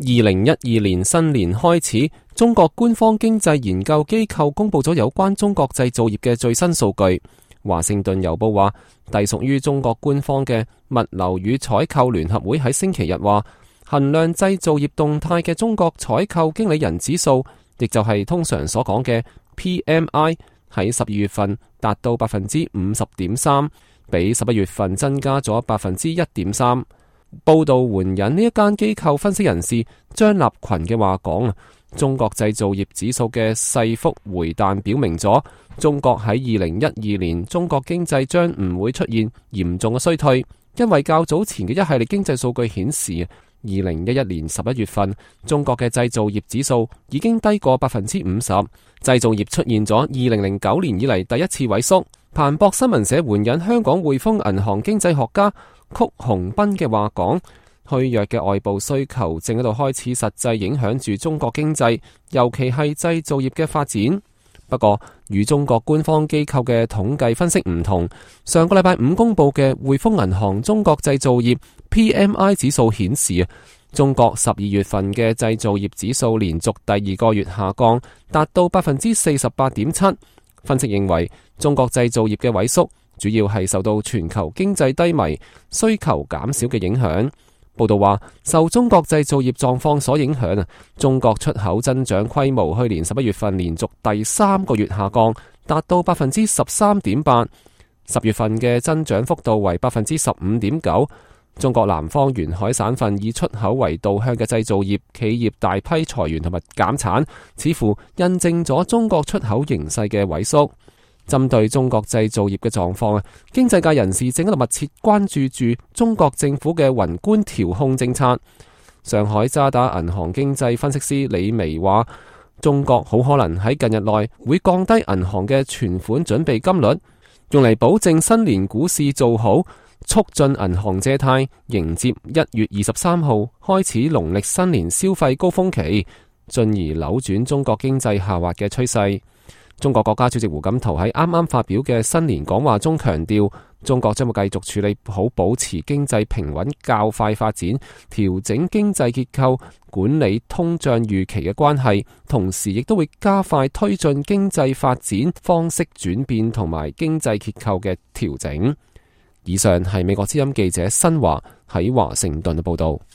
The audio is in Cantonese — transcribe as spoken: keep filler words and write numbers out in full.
二零一二年新年開始，中國官方經濟研究機構公布咗有關中國製造業嘅最新數據。華盛頓郵報話，隸屬於中國官方嘅物流與採購聯合會喺星期日話，衡量製造業動態嘅中國採購經理人指數，亦就係通常所講嘅 P M I， 喺十二月份達到百分之五十點三，比十一月份增加咗百分之一點三。報道援引呢一間機構分析人士張立群嘅話講，中國製造業指數嘅細幅回彈表明咗中國喺二零一二年中國經濟將唔會出現嚴重嘅衰退，因為較早前嘅一系列經濟數據顯示，二零一一年十一月份中國嘅製造業指數已經低過百分之五十，製造業出現咗二零零九年以嚟第一次萎縮。彭博新聞社援引香港匯豐銀行經濟學家曲鴻斌嘅話講，虛弱嘅外部需求正喺度開始實際影響住中國經濟，尤其係製造業嘅發展。不過，與中國官方機構嘅統計分析唔同，上個禮拜五公布嘅匯豐銀行中國製造業 P M I 指數顯示，中國十二月份嘅製造業指數連續第二個月下降，達到百分之四十八點七。分析認為，中國製造業嘅萎縮主要係受到全球經濟低迷、需求減少嘅影響。報道話，受中國製造業狀況所影響啊，中國出口增長規模去年十一月份連續第三個月下降，達到百分之十三點八，十月份嘅增長幅度為百分之十五點九。中國南方沿海省份以出口為導向嘅製造業企業大批裁員同埋減產，似乎印證咗中國出口形勢嘅萎縮。針對中國製造業嘅狀況啊，經濟界人士正喺度密切關注住中國政府嘅宏觀調控政策。上海渣打銀行經濟分析師李薇話，中國好可能喺近日內會降低銀行嘅存款準備金率，用嚟保證新年股市做好，促進銀行借貸，迎接一月二十三號開始農曆新年消費高峰期，進而扭轉中國經濟下滑嘅趨勢。中國國家主席胡錦濤喺啱啱發表嘅新年講話中強調，中國將會繼續處理好保持經濟平穩較快發展、調整經濟結構、管理通脹預期嘅關係，同時亦都會加快推進經濟發展方式轉變同埋經濟結構嘅調整。以上係美國之音記者新華喺華盛頓嘅報道。